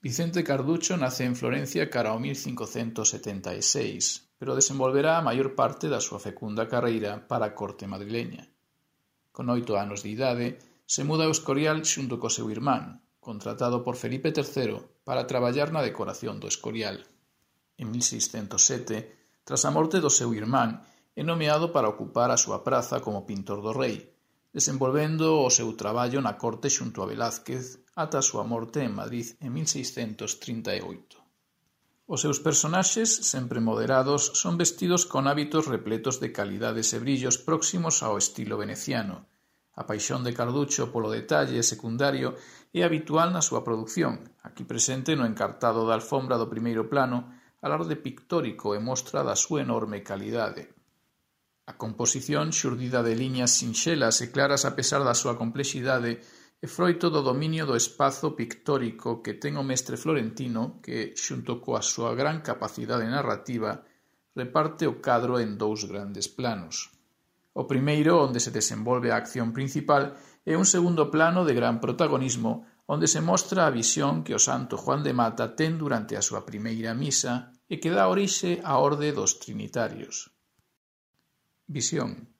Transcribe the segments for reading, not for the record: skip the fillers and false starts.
Vicente Carducho nace en Florencia cara ao 1576, pero desenvolverá a maior parte da súa fecunda carreira para a corte madrileña. Con 8 anos de idade, se muda ao Escorial xunto co seu irmán, contratado por Felipe III para traballar na decoración do Escorial. En 1607, tras a morte do seu irmán, é nomeado para ocupar a súa praza como pintor do rei, desenvolvendo o seu traballo na corte xunto a Velázquez ata a súa morte en Madrid en 1638. Os seus personaxes, sempre moderados, son vestidos con hábitos repletos de calidades e brillos próximos ao estilo veneciano. A paixón de Carducho polo detalle secundario é habitual na súa produción, aquí presente no encartado da alfombra do primeiro plano, alarde pictórico e mostra da súa enorme calidade. A composición, xurdida de liñas sinxelas e claras a pesar da súa complexidade, é froito do dominio do espazo pictórico que ten o mestre florentino que, xunto coa súa gran capacidade narrativa, reparte o cadro en dous grandes planos. O primeiro, onde se desenvolve a acción principal, é un segundo plano de gran protagonismo, onde se mostra a visión que o santo Juan de Mata ten durante a súa primeira misa e que dá orixe á orde dos trinitarios. Visión.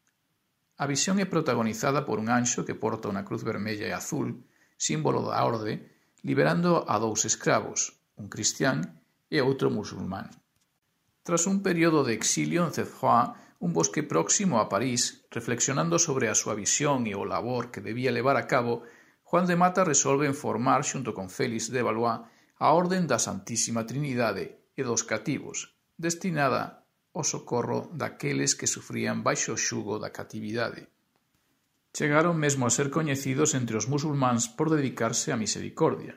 A visión é protagonizada por un anxo que porta unha cruz vermella e azul, símbolo da orde, liberando a dous escravos, un cristián e outro musulmán. Tras un período de exilio en Cefroy, un bosque próximo a París, reflexionando sobre a súa visión e o labor que debía levar a cabo, Juan de Mata resolve formar, xunto con Félix de Valois, a Orden da Santísima Trinidade e dos Cativos, destinada ao socorro daqueles que sufrían baixo o xugo da catividade. Chegaron mesmo a ser coñecidos entre os musulmáns por dedicarse á misericordia.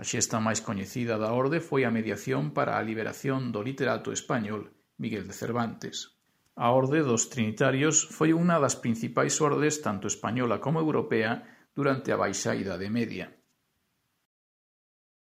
A xesta máis coñecida da orde foi a mediación para a liberación do literato español Miguel de Cervantes. A Orde dos Trinitarios foi unha das principais ordes tanto española como europea durante a Baixa Idade Media.